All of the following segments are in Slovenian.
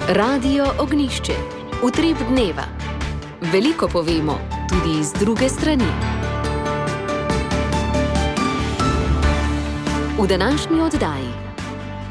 Radio Ognjišče. Utrip dneva. Veliko povemo, tudi z druge strani. V današnji oddaji.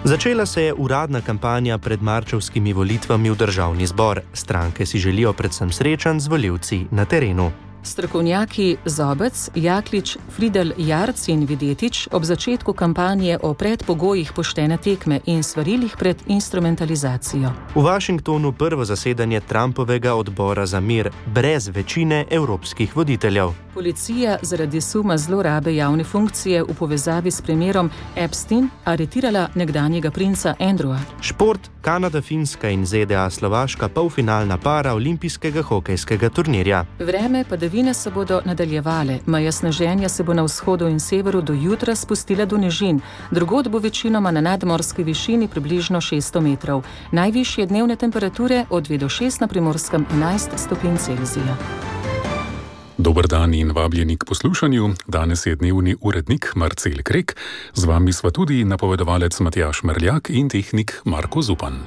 Začela se je uradna kampanja pred marčevskimi volitvami v državni zbor. Stranke si želijo predvsem srečanj z volivci na terenu. Strokovnjaki Zobec, Jaklič, Fridel Jarc in Videtič ob začetku kampanje o predpogojih poštene tekme in svarilih pred instrumentalizacijo. V Washingtonu prvo zasedanje Trumpovega odbora za mir brez večine evropskih voditeljev. Policija zaradi suma zlorabe javne funkcije v povezavi s primerom Epstein aretirala nekdanjega princa Andrewa. Šport, Kanada, Finska in ZDA Slovaška polfinalna para olimpijskega hokejskega turnirja. Vreme padavine se bodo nadaljevale, meja sneženja se bo na vzhodu in severu do jutra spustila do nižin, drugod bo večinoma na nadmorski višini približno 600 metrov. Najvišje dnevne temperature od 2 do 6 na Primorskem 11 stopinj Celzija. Dober dan in vabljeni k poslušanju. Danes je dnevni urednik Marcel Krek, z vami sva tudi napovedovalec Matjaž Merljak in tehnik Marko Zupan.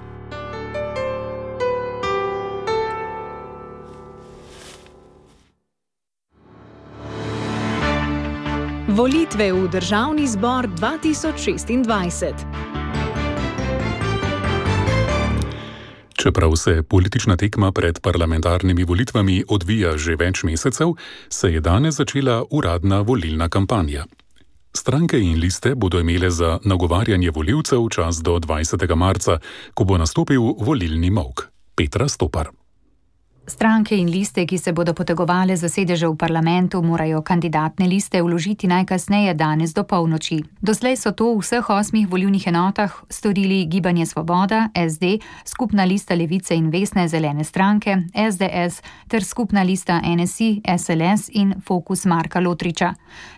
Volitve v Državni zbor 2026. Čeprav se politična tekma pred parlamentarnimi volitvami odvija že več mesecev, se je danes začela uradna volilna kampanja. Stranke in liste bodo imele za nagovarjanje volivcev čas do 20. marca, ko bo nastopil volilni molk. Petra Stopar. Stranke in liste, ki se bodo potegovale za sedeže v parlamentu, morajo kandidatne liste vložiti najkasneje danes do polnoči. Doslej so to v vseh 8 volilnih enotah storili Gibanje Svoboda, SD, Skupna lista Levice in Vesne zelene stranke, SDS ter Skupna lista NSI, SLS in Fokus Marka Lotriča.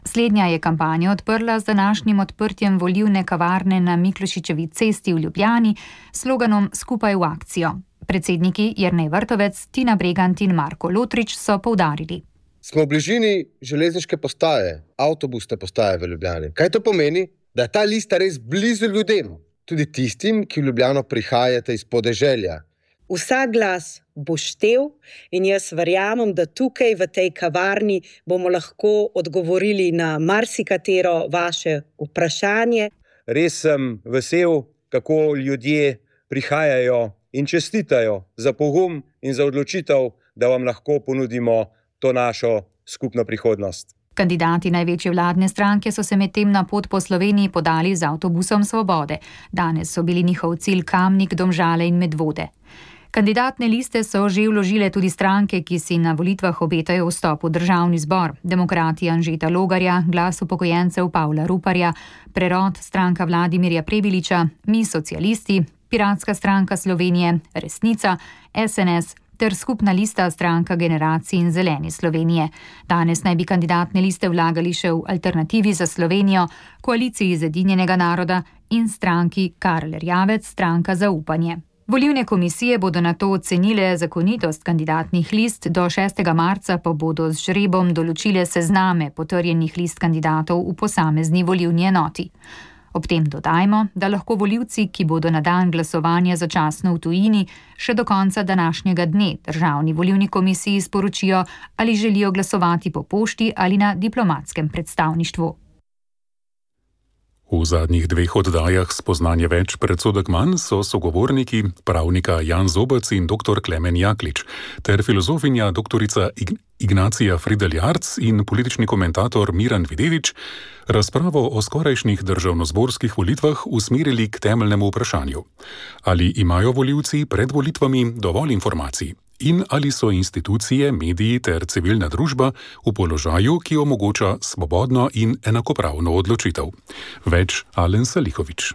Slednja je kampanjo odprla z današnjim odprtjem volilne kavarne na Miklošičevi cesti v Ljubljani s sloganom Skupaj v akcijo. Predsedniki Jernej Vrtovec, Tina Bregant in Marko Lotrič so poudarili. Smo v bližini železniške postaje, avtobusne postaje v Ljubljani. Kaj to pomeni? Da je ta lista res blizu ljudem, tudi tistim, ki v Ljubljano prihajate iz podeželja. Vsak glas bo štel in jaz verjamem, da tukaj v tej kavarni bomo lahko odgovorili na marsikatero vaše vprašanje. Res sem vesel, kako ljudje prihajajo in čestitajo za pogum in za odločitev, da vam lahko ponudimo to našo skupno prihodnost. Kandidati največje vladne stranke so se medtem na pot po Sloveniji podali z avtobusom Svobode. Danes so bili njihov cilj Kamnik, Domžale in Medvode. Kandidatne liste so že vložile tudi stranke, ki si na volitvah obetajo vstop v državni zbor. Demokrati Anžeta Logarja, Glas upokojencev Pavla Ruparja, Prerod, stranka Vladimirja Prebiliča, Mi socialisti, Piratska stranka Slovenije, Resnica, SNS ter Skupna lista stranka Generacij in Zeleni Slovenije. Danes naj bi kandidatne liste vlagali še v Alternativi za Slovenijo, Koaliciji Zedinjenega naroda in stranki Karl Erjavec, stranka Zaupanje. Volilne komisije bodo nato ocenile zakonitost kandidatnih list, do 6. marca pa bodo z žrebom določile sezname potrjenih list kandidatov v posamezni volilni enoti. Ob tem dodajmo, da lahko volivci, ki bodo na dan glasovanja začasno v tujini, še do konca današnjega dne Državni volilni komisiji sporočijo, ali želijo glasovati po pošti ali na diplomatskem predstavništvu. V zadnjih 2 oddajah Spoznanje več, predsodek manj so sogovorniki pravnika Jan Zobec in dr. Klemen Jaklič ter filozofinja doktorica Ignacija Fridel Jarc in politični komentator Miran Videvič razpravo o skorajšnjih državnozborskih volitvah usmerili k temeljnemu vprašanju. Ali imajo volivci pred volitvami dovolj informacij? In ali so institucije, mediji ter civilna družba v položaju, ki omogoča svobodno in enakopravno odločitev? Več Alen Salihovič.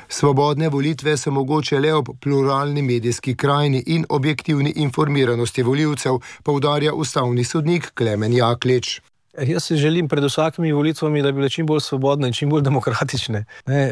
Svobodne volitve so mogoče le ob pluralni medijski krajini in objektivni informiranosti volivcev, poudarja ustavni sodnik Klemen Jaklič. Jaz si želim pred vsakimi volitvami, da bi bile čim bolj svobodne in čim bolj demokratične.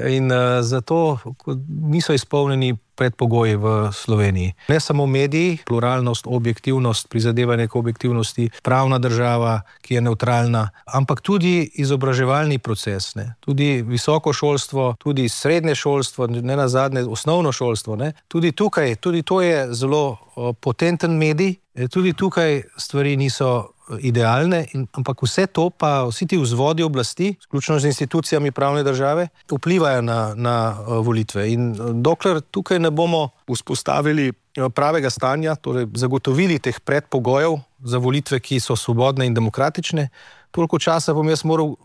In zato, ko niso izpolnjeni predpogoji v Sloveniji. Ne samo mediji, pluralnost, objektivnost, prizadevanje k objektivnosti, pravna država, ki je nevtralna, ampak tudi izobraževalni proces, ne? Tudi visoko šolstvo, tudi srednje šolstvo, ne nazadnje osnovno šolstvo, ne? Tudi tukaj, tudi to je zelo potenten medij, tudi tukaj stvari niso idealne, ampak vse to pa vsi ti vzvodi oblasti, vključno z institucijami pravne države, vplivajo na volitve. In dokler tukaj ne bomo vzpostavili pravega stanja, torej zagotovili teh predpogojev za volitve, ki so svobodne in demokratične, toliko časa bom jaz moral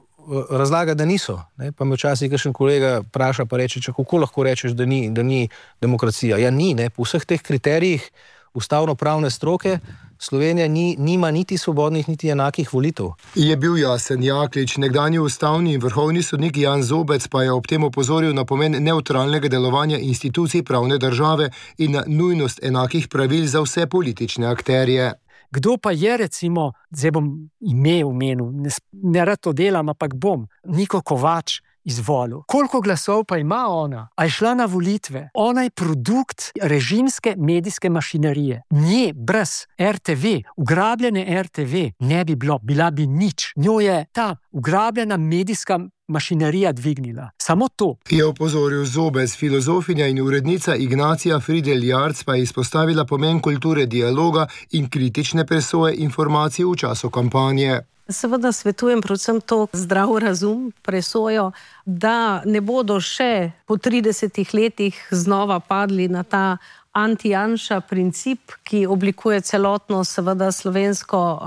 razlagati, da niso. Ne? Pa me včasih kakšen kolega vpraša pa reče, kako lahko rečeš, da ni demokracija. Ja, ni, ne? Po vseh teh kriterijih ustavno-pravne stroke Slovenija nima niti svobodnih, niti enakih volitev. Je bil jasen Jaklič, nekdanji ustavni in vrhovni sodnik Jan Zobec pa je ob tem opozoril na pomen nevtralnega delovanja institucij pravne države in na nujnost enakih pravil za vse politične akterje. Kdo pa je, recimo, zdaj bom ime omenil, ne rad to delam, ampak bom, Niko Kovač izvolil. Koliko glasov pa ima ona? A je šla na volitve? Ona je produkt režimske medijske mašinerije. Nje, brez RTV, ugrabljene RTV, ne bi bilo, bila bi nič. Njo je ta ugrabljena medijska mašinerija dvignila. Samo to. Je opozoril Zobec, filozofinja in urednica Ignacija Fridelj-Jarc pa je izpostavila pomen kulture dialoga in kritične presoje informacij v času kampanje. Seveda svetujem predvsem to zdrav razum, presojo, da ne bodo še po 30 letih znova padli na ta anti-Janša princip, ki oblikuje celotno seveda slovensko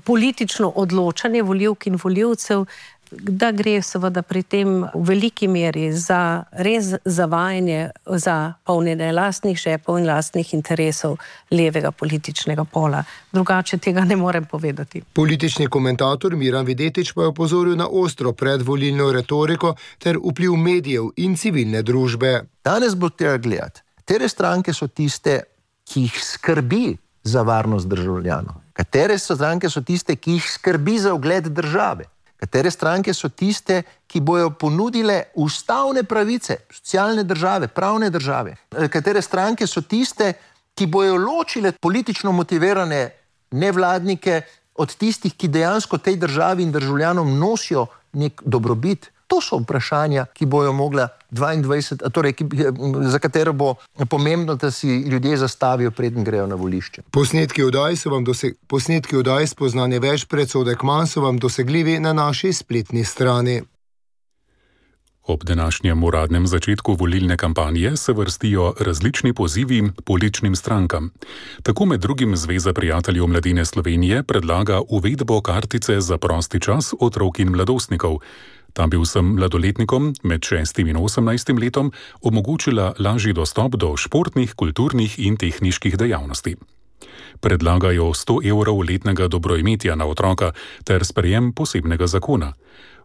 politično odločanje volivk in volivcev, da gre seveda pri tem v veliki meri za res zavajanje, za polnjenje lastnih žepov in lastnih interesov levega političnega pola. Drugače tega ne morem povedati. Politični komentator Miran Videtič pa je opozoril na ostro predvolilno retoriko ter vpliv medijev in civilne družbe. Danes bo treba gledati, katere stranke so tiste, ki jih skrbi za varnost državljanov, katere stranke so tiste, ki jih skrbi za ugled države. Katere stranke so tiste, ki bojo ponudile ustavne pravice, socialne države, pravne države. Katere stranke so tiste, ki bojo ločile politično motivirane nevladnike od tistih, ki dejansko tej državi in državljanom nosijo nek dobrobit. To so vprašanja, ki bojo mogla 22, torej, za katero bo pomembno, da si ljudje zastavijo, preden grejo na volišče. Posnetki oddaj Spoznanje več, predsodek manj so vam dosegljivi na naši spletni strani. Ob današnjem uradnem začetku volilne kampanje se vrstijo različni pozivi političnim strankam. Tako med drugim Zveza prijateljev mladine Slovenije predlaga uvedbo kartice za prosti čas otrok in mladostnikov. Ta bi vsem mladoletnikom med 6 in 18 letom omogočila lažji dostop do športnih, kulturnih in tehniških dejavnosti. Predlagajo 100 evrov letnega dobroimetja na otroka ter sprejem posebnega zakona.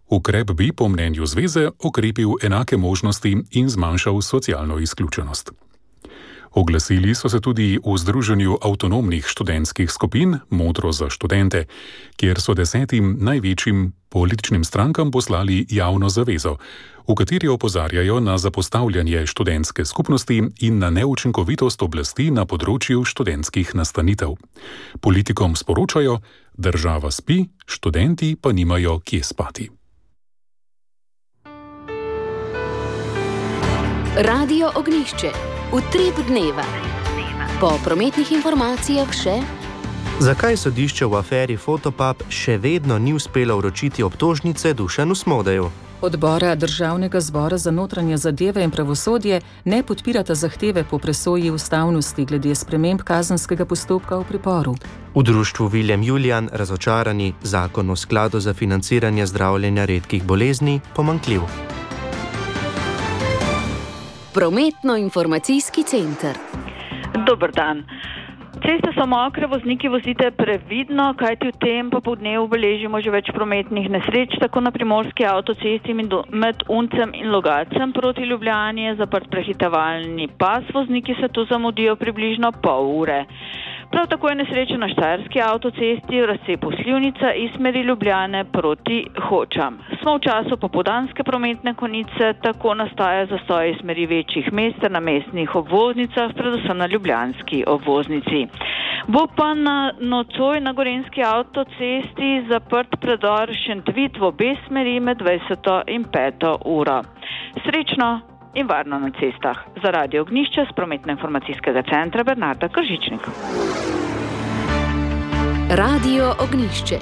Ukrep bi po mnenju zveze okrepil enake možnosti in zmanjšal socialno izključenost. Oglasili so se tudi v Združenju avtonomnih študentskih skupin Modro za študente, kjer so 10 največjim političnim strankam poslali javno zavezo, v kateri opozarjajo na zapostavljanje študentske skupnosti in na neučinkovitost oblasti na področju študentskih nastanitev. Politikom sporočajo, država spi, študenti pa nimajo kje spati. Radio Ognjišče. Utrip dneva. Po prometnih informacijah še: zakaj sodišče v aferi Fotopub še vedno ni uspelo vročiti obtožnice Dušanu Smodeju? Odbora Državnega zbora za notranje zadeve in pravosodje ne podpirata zahteve po presoji ustavnosti glede sprememb kazenskega postopka v priporu. V društvu Viljem Julijan razočarani, zakon o skladu za financiranje zdravljenja redkih bolezni pomanjkljiv. Prometno-informacijski center. Dober dan. Ceste so mokre, vozniki vozite previdno, kajti v tem popoldnevu beležimo že več prometnih nesreč, tako na primorski avtocesti med Uncem in Logacem proti Ljubljani je zaprt prehitevalni pas, vozniki se tu zamudijo približno pol ure. Prav tako je nesreča na Štajerski avtocesti v razcepu Slivnica iz smeri Ljubljane proti Hočam. Smo v času popoldanske prometne konice, tako nastaja zastoj iz smeri večjih mest na mestnih obvoznicah, predvsem na ljubljanski obvoznici. Bo pa nocoj na Gorenjski avtocesti zaprt predor Šentvid v obe smeri med 20. in 5. uro. Srečno in varno na cestah. Za Radio Ognjišče s prometno-informacijskega centra Bernarda Kržičnik. Radio Ognjišče.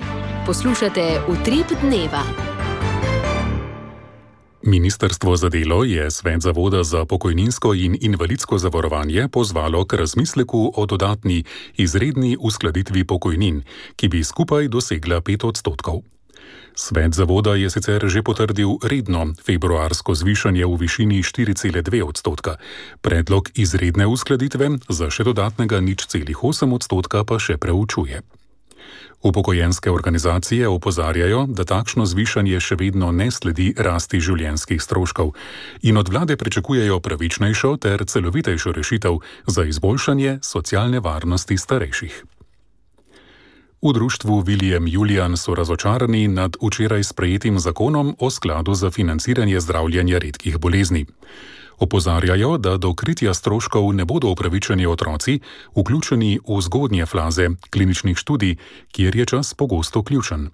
Poslušate Utrip dneva. Ministrstvo za delo je Svet Zavoda za pokojninsko in invalidsko zavarovanje pozvalo k razmisleku o dodatni izredni uskladitvi pokojnin, ki bi skupaj dosegla 5%. Svet Zavoda je sicer že potrdil redno februarsko zvišanje v višini 4,2%. Predlog izredne uskladitve za še dodatnega 0,8% pa še preučuje. Upokojenske organizacije opozarjajo, da takšno zvišanje še vedno ne sledi rasti življenjskih stroškov in od vlade pričakujejo pravičnejšo ter celovitejšo rešitev za izboljšanje socialne varnosti starejših. V društvu William Julian so razočarani nad včeraj sprejetim zakonom o skladu za financiranje zdravljenja redkih bolezni. Opozarjajo, da do kritja stroškov ne bodo upravičeni otroci, vključeni v zgodnje faze kliničnih študij, kjer je čas pogosto ključen.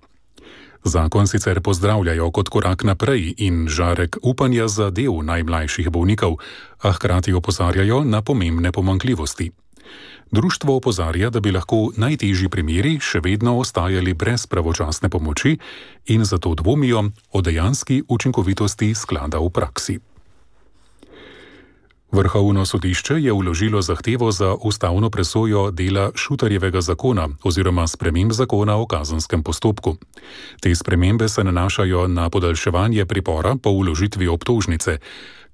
Zakon sicer pozdravljajo kot korak naprej in žarek upanja za del najmlajših bolnikov, a hkrati opozarjajo na pomembne pomanjkljivosti. Društvo opozarja, da bi lahko najtežji primeri še vedno ostajali brez pravočasne pomoči in zato dvomijo o dejanski učinkovitosti sklada v praksi. Vrhovno sodišče je vložilo zahtevo za ustavno presojo dela Šutarjevega zakona oziroma sprememb zakona o kazenskem postopku. Te spremembe se nanašajo na podaljševanje pripora po vložitvi obtožnice,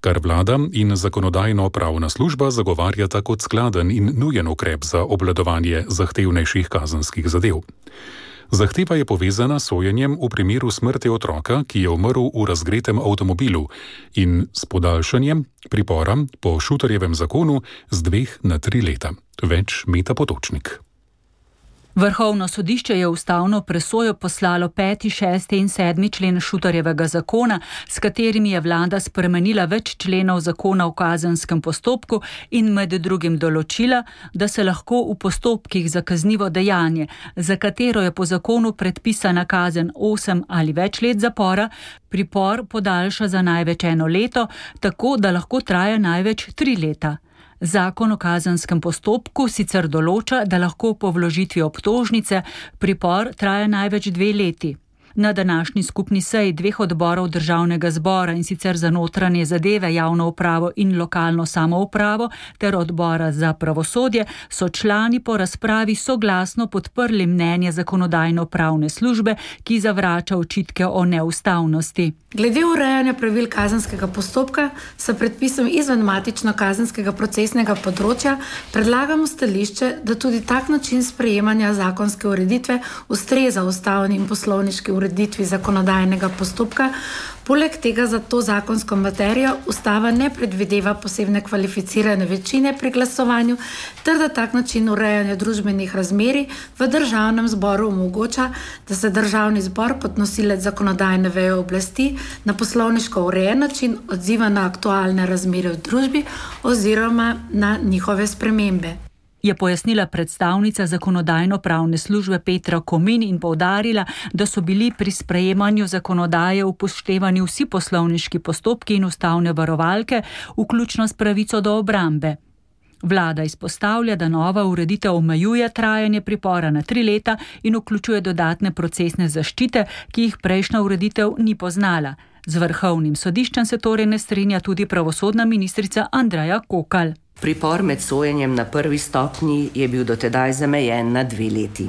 kar vlada in zakonodajno-pravna služba zagovarjata kot skladen in nujen ukrep za obvladovanje zahtevnejših kazenskih zadev. Zahteva je povezana s sojenjem v primeru smrti otroka, ki je umrl v razgretem avtomobilu, in s podaljšanjem pripora po Šutarjevem zakonu z 2 na 3 leta. Več Meta Potočnik. Vrhovno sodišče je ustavno presojo poslalo 5., 6. in 7. člen Šutarjevega zakona, s katerimi je vlada spremenila več členov zakona o kazenskem postopku in med drugim določila, da se lahko v postopkih za kaznivo dejanje, za katero je po zakonu predpisana kazen 8 ali več let zapora, pripor podaljša za največ 1 leto, tako da lahko traja največ 3 leta. Zakon o kazenskem postopku sicer določa, da lahko po vložitvi obtožnice pripor traja največ 2 leti. Na današnji skupni seji 2 odborov Državnega zbora, in sicer za notranje zadeve, javno upravo in lokalno samoupravo ter odbora za pravosodje, so člani po razpravi soglasno podprli mnenje zakonodajno-pravne službe, ki zavrača očitke o neustavnosti. Glede urejanja pravil kazenskega postopka s predpisom izven matično kazenskega procesnega področja predlagamo stališče, da tudi tak način sprejemanja zakonske ureditve ustreza ustavni in poslovniški ureditvi zakonodajnega postopka. Poleg tega za to zakonsko materijo ustava ne predvideva posebne kvalificirane večine pri glasovanju, ter da tak način urejanja družbenih razmerij v Državnem zboru omogoča, da se Državni zbor kot nosilec zakonodajne veje oblasti na poslovniško urejen način odziva na aktualne razmere v družbi oziroma na njihove spremembe. Je pojasnila predstavnica zakonodajno-pravne službe Petra Komin in poudarila, da so bili pri sprejemanju zakonodaje upoštevani vsi poslovniški postopki in ustavne varovalke, vključno s pravico do obrambe. Vlada izpostavlja, da nova ureditev omejuje trajanje pripora na 3 leta in vključuje dodatne procesne zaščite, ki jih prejšnja ureditev ni poznala. Z Vrhovnim sodiščem se torej ne strinja tudi pravosodna ministrica Andreja Kokalj. Pripor med sojenjem na 1. stopnji je bil dotedaj zamejen na 2 leti.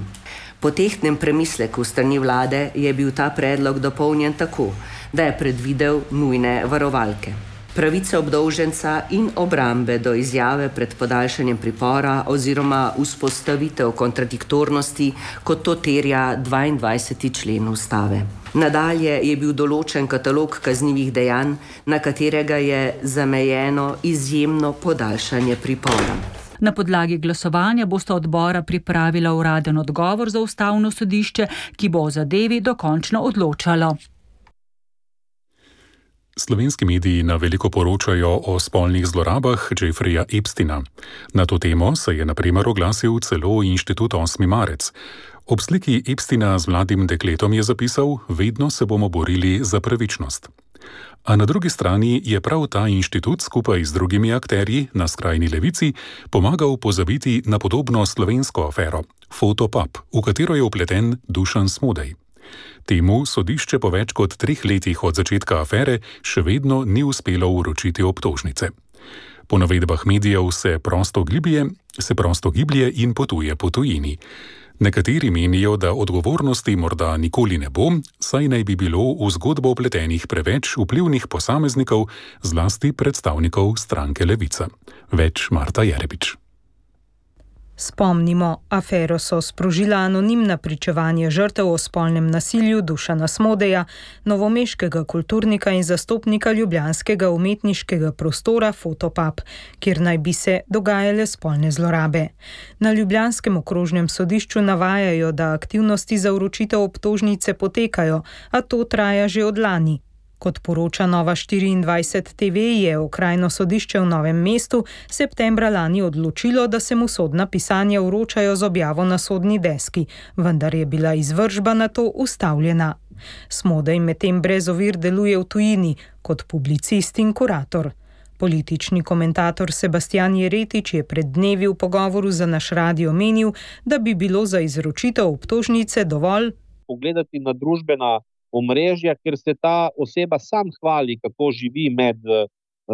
Po tehtnem premisleku strani vlade je bil ta predlog dopolnjen tako, da je predvidel nujne varovalke. Pravice obdolženca in obrambe do izjave pred podaljšanjem pripora oziroma vzpostavitev kontradiktornosti, kot to terja 22. člen ustave. Nadalje je bil določen katalog kaznivih dejanj, na katerega je zamejeno izjemno podaljšanje pripora. Na podlagi glasovanja bosta odbora pripravila uraden odgovor za ustavno sodišče, ki bo o zadevi dokončno odločalo. Slovenski mediji na veliko poročajo o spolnih zlorabah Jeffreya Epsteina. Na to temo se je na primer oglasil celo Inštitut 8. marec. Ob sliki Epsteina z mladim dekletom je zapisal: "Vedno se bomo borili za pravičnost." A na drugi strani je prav ta inštitut skupaj z drugimi akterji na skrajni levici pomagal pozabiti na podobno slovensko afero Fotopub, v katero je vpleten Dušan Smodej. Temu sodišče po več kot 3 letih od začetka afere še vedno ni uspelo vročiti obtožnice. Po navedbah medijev se prosto giblje in potuje po tujini. Nekateri menijo, da odgovornosti morda nikoli ne bo, saj naj bi bilo v zgodbo vpletenih preveč vplivnih posameznikov, zlasti predstavnikov stranke Levica. Več Marta Jerebič. Spomnimo, afero so sprožila anonimna pričevanja žrtev o spolnem nasilju Dušana Smodeja, novomeškega kulturnika in zastopnika ljubljanskega umetniškega prostora Fotopub, kjer naj bi se dogajale spolne zlorabe. Na ljubljanskem okrožnem sodišču navajajo, da aktivnosti za vročitev obtožnice potekajo, a to traja že od lani. Kot poroča Nova 24 TV, je okrajno sodišče v Novem mestu septembra lani odločilo, da se mu sodna pisanja vročajo z objavo na sodni deski, vendar je bila izvršba na to ustavljena. Smodej medtem brez ovir deluje v tujini kot publicist in kurator. Politični komentator Sebastian Jeretič je pred dnevi v pogovoru za naš radio menil, da bi bilo za izročitev obtožnice dovolj pogledati na družbena omrežja, ker se ta oseba sam hvali, kako živi med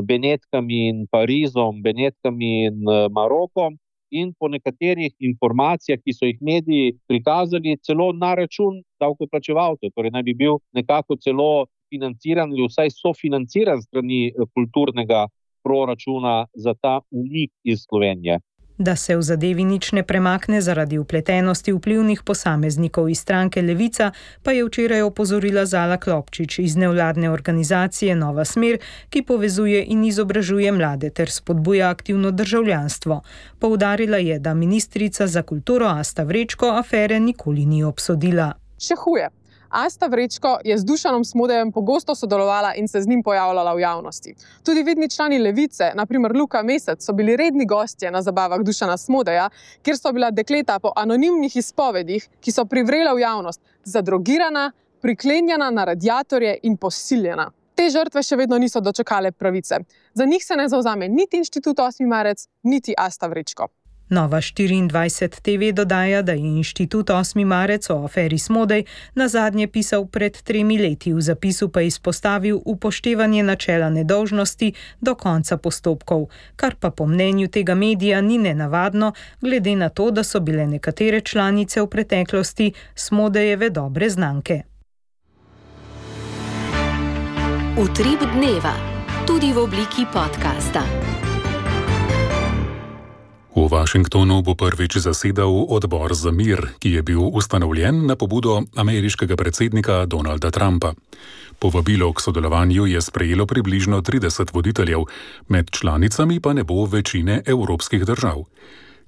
Benetkami in Parizom, Benetkami in Marokom, in po nekaterih informacijah, ki so jih mediji prikazali, celo na račun davkoplačevalcev, torej naj bi bil nekako celo financiran ali vsaj sofinanciran strani kulturnega proračuna za ta umik iz Slovenije. Da se v zadevi nič ne premakne zaradi vpletenosti vplivnih posameznikov iz stranke Levica, pa je včeraj opozorila Zala Klopčič iz nevladne organizacije Nova smer, ki povezuje in izobražuje mlade ter spodbuja aktivno državljanstvo. Poudarila je, da ministrica za kulturo Asta Vrečko afere nikoli ni obsodila. Še huje. Asta Vrečko je z Dušanom Smodejem pogosto sodelovala in se z njim pojavljala v javnosti. Tudi vidni člani Levice, na primer Luka Mesec, so bili redni gostje na zabavah Dušana Smodeja, kjer so bila dekleta po anonimnih izpovedih, ki so privrela v javnost, zadrogirana, priklenjena na radiatorje in posiljena. Te žrtve še vedno niso dočakale pravice. Za njih se ne zavzame niti Inštitut 8. marec, niti Asta Vrečko. Nova 24 TV dodaja, da je Inštitut 8. marec o aferi Smodej nazadnje pisal pred 3 leti, v zapisu pa izpostavil upoštevanje načela nedolžnosti do konca postopkov, kar pa po mnenju tega medija ni nenavadno, glede na to, da so bile nekatere članice v preteklosti Smodejeve dobre znanke. Utrip dneva, tudi v obliki podcasta. V Washingtonu bo prvič zasedal odbor za mir, ki je bil ustanovljen na pobudo ameriškega predsednika Donalda Trumpa. Povabilo k sodelovanju je sprejelo približno 30 voditeljev, med članicami pa ne bo večine evropskih držav.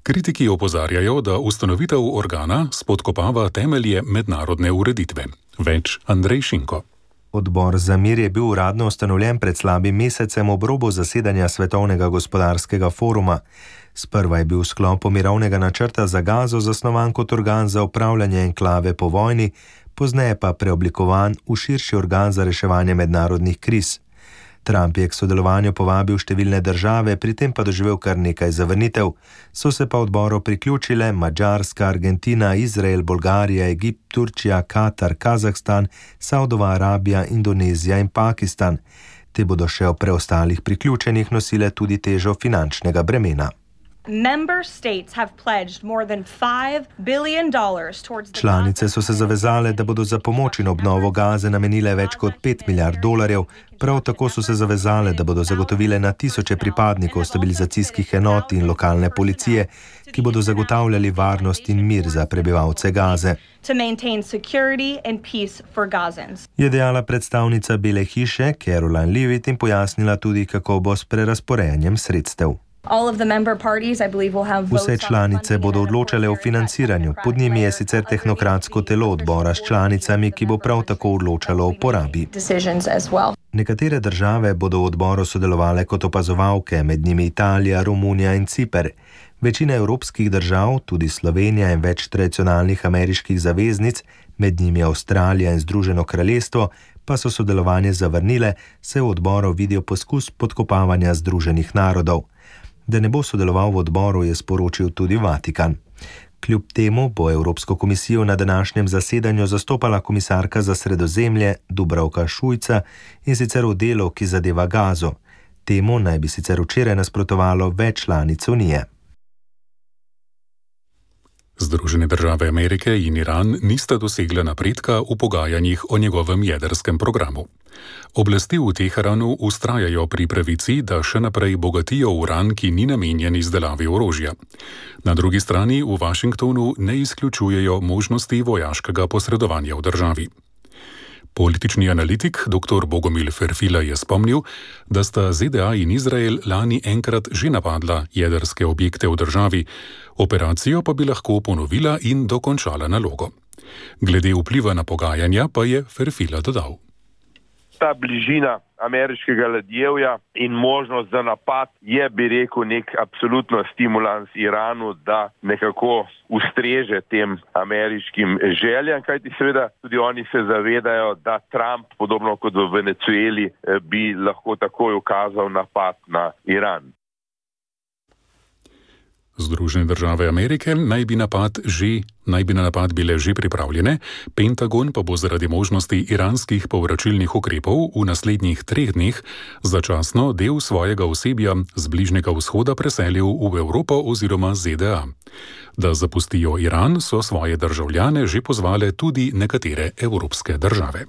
Kritiki opozarjajo, da ustanovitev organa spodkopava temelje mednarodne ureditve. Več Andrej Šinko. Odbor za mir je bil uradno ustanovljen pred slabim mesecem ob robu zasedanja Svetovnega gospodarskega foruma. Sprva je bil v sklopu mirovnega načrta za Gazo zasnovan kot organ za upravljanje enklave po vojni, pozneje pa preoblikovan v širši organ za reševanje mednarodnih kriz. Trump je k sodelovanju povabil številne države, pri tem pa doživel kar nekaj zavrnitev. So se pa odboru priključile Madžarska, Argentina, Izrael, Bolgarija, Egipt, Turčija, Katar, Kazahstan, Saudova Arabija, Indonezija in Pakistan. Te bodo še o preostalih priključenih nosile tudi težo finančnega bremena. Članice so se zavezale, da bodo za pomoč in obnovo Gaze namenile več kot $5 milijard. Prav tako so se zavezale, da bodo zagotovile na tisoče pripadnikov stabilizacijskih enot in lokalne policije, ki bodo zagotavljali varnost in mir za prebivalce Gaze. Je dejala predstavnica Bele hiše Caroline Leavitt in pojasnila tudi, kako bo s prerazporejanjem sredstev. Vse članice bodo odločale o financiranju, pod njimi je sicer tehnokratsko telo odbora s članicami, ki bo prav tako odločalo o porabi. Nekatere države bodo v odboru sodelovale kot opazovalke, med njimi Italija, Romunija in Ciper. Večina evropskih držav, tudi Slovenija in več tradicionalnih ameriških zaveznic, med njimi Avstralija in Združeno kraljestvo, pa so sodelovanje zavrnile, saj v odboru vidijo poskus podkopavanja Združenih narodov. Da ne bo sodeloval v odboru, je sporočil tudi Vatikan. Kljub temu bo Evropsko komisijo na današnjem zasedanju zastopala komisarka za Sredozemlje Dubravka Šuica, in sicer v delu, ki zadeva Gazo. Temu naj bi sicer včeraj nasprotovalo več članic Unije. Združene države Amerike in Iran nista dosegla napredka v pogajanjih o njegovem jedrskem programu. Oblasti v Teheranu vztrajajo pri pravici, da še naprej bogatijo uran, ki ni namenjen izdelavi orožja. Na drugi strani v Washingtonu ne izključujejo možnosti vojaškega posredovanja v državi. Politični analitik dr. Bogomil Ferfila je spomnil, da sta ZDA in Izrael lani enkrat že napadla jedrske objekte v državi, operacijo pa bi lahko ponovila in dokončala nalogo. Glede vpliva na pogajanja pa je Ferfila dodal. Ta bližina ameriškega ladjevja in možnost za napad je, bi rekel, nek absolutno stimulans Iranu, da nekako ustreže tem ameriškim željam, kajti seveda tudi oni se zavedajo, da Trump, podobno kot v Venezueli, bi lahko takoj ukazal napad na Iran. Združene države Amerike naj bi na napad bile že pripravljene, Pentagon pa bo zaradi možnosti iranskih povračilnih ukrepov v naslednjih 3 dneh začasno del svojega osebja z Bližnjega vzhoda preselil v Evropo oziroma ZDA. Da zapustijo Iran, so svoje državljane že pozvale tudi nekatere evropske države.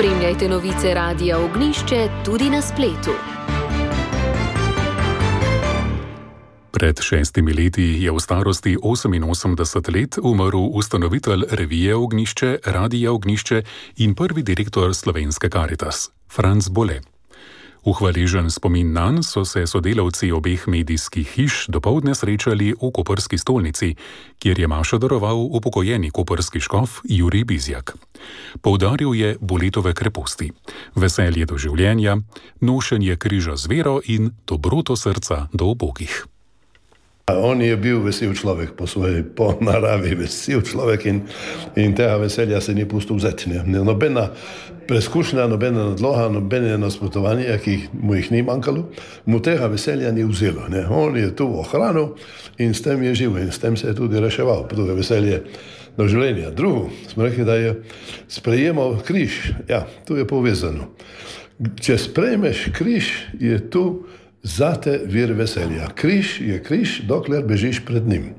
Spremljajte novice Radia Ognišče tudi na spletu. Pred 6 leti je v starosti 88 let umrl ustanovitelj revije Ognišče, Radia Ognišče in prvi direktor Slovenske Karitas, Franc Bole. V hvaležen spomin nanj so se sodelavci obeh medijskih hiš dopoldne srečali v koprski stolnici, kjer je mašo daroval upokojeni koprski škof Jurij Bizjak. Poudaril je Boletove kreposti, veselje do življenja, nošenje križa z vero in dobroto srca do ubogih. On je bil vesel človek po naravi, vesel človek in tega veselja se ni pustil vzeti. Nobena preskušnja, nobena nadloga, nobene nasprotovanja, ki mu jih ni manjkalo, mu tega veselja ni vzelo. On je tu ohranil in s tem je živel in s tem se je tudi reševal. Drugo veselje do življenja. Drugo, smo rekli, da je sprejemal križ. Ja, tu je povezano. Če sprejmeš križ, je tu zate vir veselja. Križ je križ, dokler bežiš pred njim.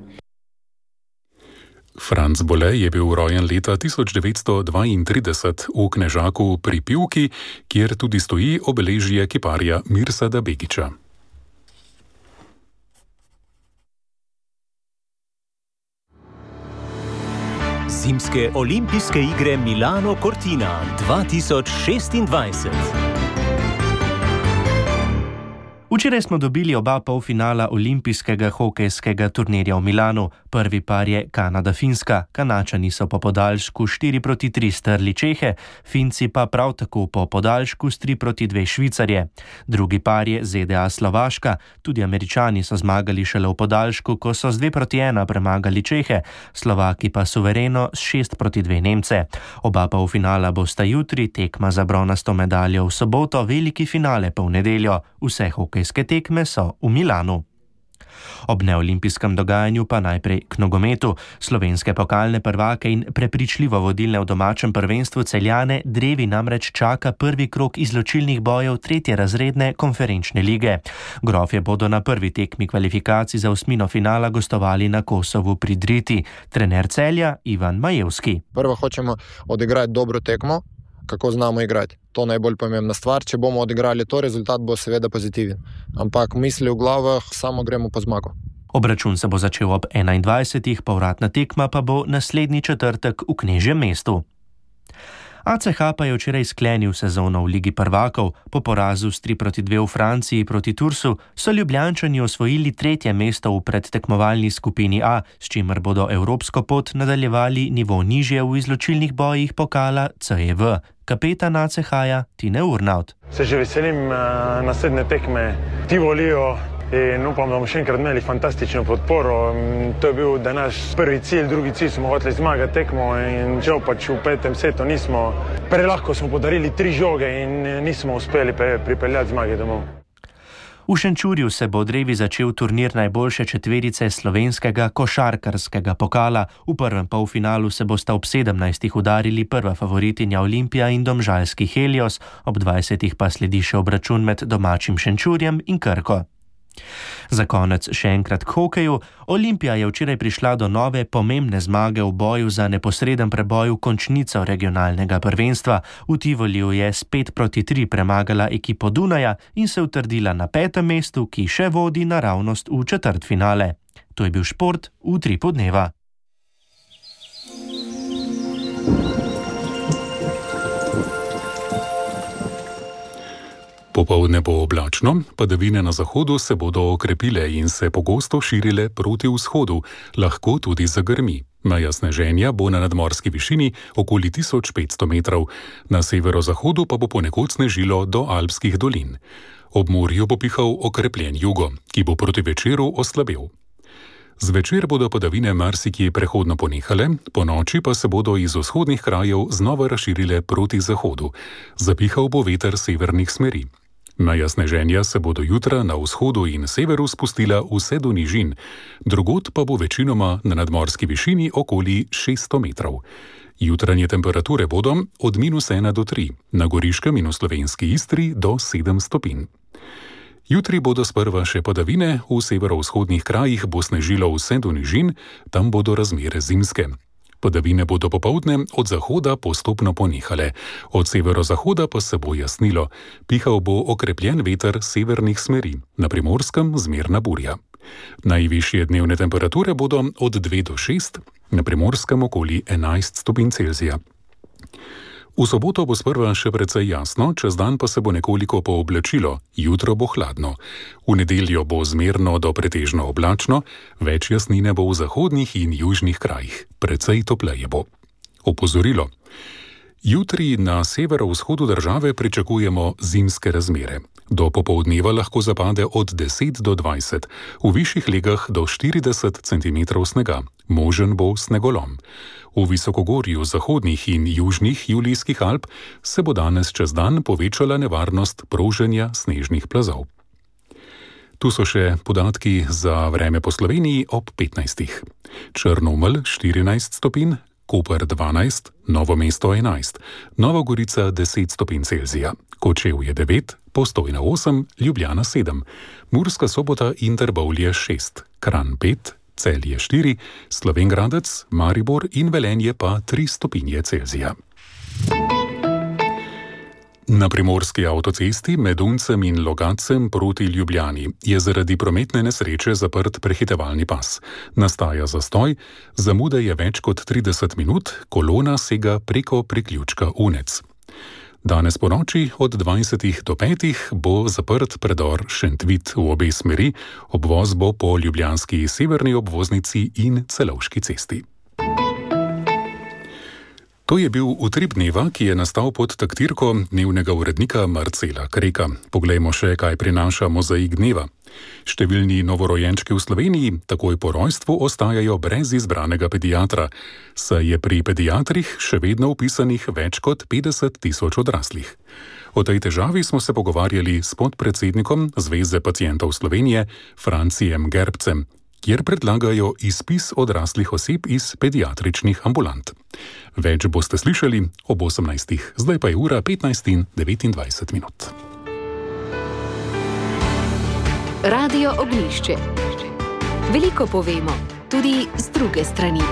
Franc Bole je bil rojen leta 1932 v Knežaku pri Pivki, kjer tudi stoji obeležje kiparja Mirsada Begića. Zimske olimpijske igre Milano Cortina 2026. Včeraj smo dobili oba polfinala olimpijskega hokejskega turnirja v Milanu. Prvi par je Kanada-Finska. Kanačani so po podaljšku 4-3 strli Čehe, Finci pa prav tako po podaljšku s 3-2 Švicarje. Drugi par je ZDA-Slovaška. Tudi Američani so zmagali šele v podaljšku, ko so z 2-1 premagali Čehe, Slovaki pa suvereno s 6-2 Nemce. Oba polfinala bosta jutri, tekma za bronasto medaljo v soboto, veliki finale pa v nedeljo. Vse hokejske tekme so v Milanu. Ob neolimpijskem dogajanju pa najprej k nogometu. Slovenske pokalne prvake in prepričljivo vodilne v domačem prvenstvu Celjane drevi namreč čaka prvi krog izločilnih bojev 3. razredne konferenčne lige. Grofje bodo na prvi tekmi kvalifikacij za osmino finala gostovali na Kosovu pri Driti. Trener Celja Ivan Majevski. Prvo hočemo odigrati dobro tekmo, kako znamo igrati. To je najbolj pomembna stvar. Če bomo odigrali to, rezultat bo seveda pozitiven. Ampak misli v glavah, samo gremo po zmago. Obračun se bo začel ob 21. povratna tekma pa bo naslednji četrtek v Knežjem mestu. ACH pa je včeraj sklenil sezono v Ligi prvakov. Po porazu s 3-2 v Franciji proti Tursu so Ljubljančani osvojili 3. mesto v predtekmovalni skupini A, s čimer bodo evropsko pot nadaljevali nivo nižje v izločilnih bojih pokala CEV. Kapetan ACH-ja Tine Urnaut. Se že veselim naslednje tekme. Ti volijo in upam, da bomo še enkrat imeli fantastično podporo. To je bil naš prvi cilj, drugi cilj smo hoteli zmagati tekmo in žal pač v 5. setu nismo. Prelahko smo podarili 3 žoge in nismo uspeli pripeljati zmage domov. V Šenčurju se bo drevi začel turnir najboljše četverice slovenskega košarkarskega pokala. V prvem polfinalu se bosta ob 17. udarili prva favoritinja Olimpija in domžalski Helios, ob 20. pa sledi še obračun med domačim Šenčurjem in Krko. Za konec še enkrat k hokeju. Olimpija je včeraj prišla do nove pomembne zmage v boju za neposreden preboj v končnico regionalnega prvenstva. V Tivoliju je s 5-3 premagala ekipo Dunaja in se utrdila na 5. mestu, ki še vodi naravnost v četrtfinale. To je bil šport v Utripu dneva. Popoldne bo oblačno, padavine na zahodu se bodo okrepile in se pogosto širile proti vzhodu, lahko tudi zagrmi. Meja sneženja bo na nadmorski višini okoli 1500 metrov, na severozahodu pa bo ponekod snežilo do alpskih dolin. Ob morju bo pihal okrepljen jugo, ki bo proti večeru oslabel. Zvečer bodo padavine marsikje prehodno ponehale, po noči pa se bodo iz vzhodnih krajev znova razširile proti zahodu. Zapihal bo veter severnih smeri. Meja sneženja se bo do jutra na vzhodu in severu spustila vse do nižin, drugod pa bo večinoma na nadmorski višini okoli 600 metrov. Jutranje temperature bodo od -1 do 3, na Goriškem in v slovenski Istri do 7 stopinj. Jutri bodo sprva še padavine, v severovzhodnih krajih bo snežilo vse do nižin, tam bodo razmere zimske. Padavine bodo popoldne od zahoda postopno ponehale, od severozahoda pa se bo jasnilo. Pihal bo okrepljen veter severnih smeri, na Primorskem zmerna burja. Najvišje dnevne temperature bodo od 2 do 6, na Primorskem okoli 11 stopinj Celzija. V soboto bo sprva še precej jasno, čez dan pa se bo nekoliko pooblačilo, jutro bo hladno. V nedeljo bo zmerno do pretežno oblačno, več jasnine bo v zahodnih in južnih krajih, precej topleje bo. Opozorilo. Jutri na severovzhodu države pričakujemo zimske razmere. Do popoldneva lahko zapade od 10 do 20, v višjih legah do 40 cm snega, možen bo snegolom. V visokogorju zahodnih in južnih Julijskih Alp se bo danes čez dan povečala nevarnost proženja snežnih plazov. Tu so še podatki za vreme po Sloveniji ob 15. Črnomelj 14 stopinj, Koper 12, Novo mesto 11, Nova Gorica 10 stopinj Celzija, Kočevje 9, Postojna 8, Ljubljana 7, Murska Sobota in Trbovlje 6, Kranj 5, Celje 4, Slovenj Gradec, Maribor in Velenje pa 3 stopinje Celzija. Na primorski avtocesti med Uncem in Logatcem proti Ljubljani je zaradi prometne nesreče zaprt prehitevalni pas. Nastaja zastoj, zamuda je več kot 30 minut, kolona sega preko priključka Unec. Danes po noči od 20 do 5 bo zaprt predor Šentvit v obe smeri, obvoz bo po ljubljanski severni obvoznici in Celovški cesti. To je bil Utrip dneva, ki je nastal pod taktirko dnevnega urednika Marcela Kreka. Poglejmo še, kaj prinaša mozaik dneva. Številni novorojenčki v Sloveniji takoj po rojstvu ostajajo brez izbranega pediatra, saj je pri pediatrih še vedno vpisanih več kot 50 000 odraslih. O tej težavi smo se pogovarjali s podpredsednikom Zveze pacientov Slovenije, Francijem Gerbcem, kjer predlagajo izpis odraslih oseb iz pediatričnih ambulant. Več boste slišali ob 18. Zdaj pa je ura 15:29 minut. Radio Oglišče. Veliko povemo, tudi z druge strani.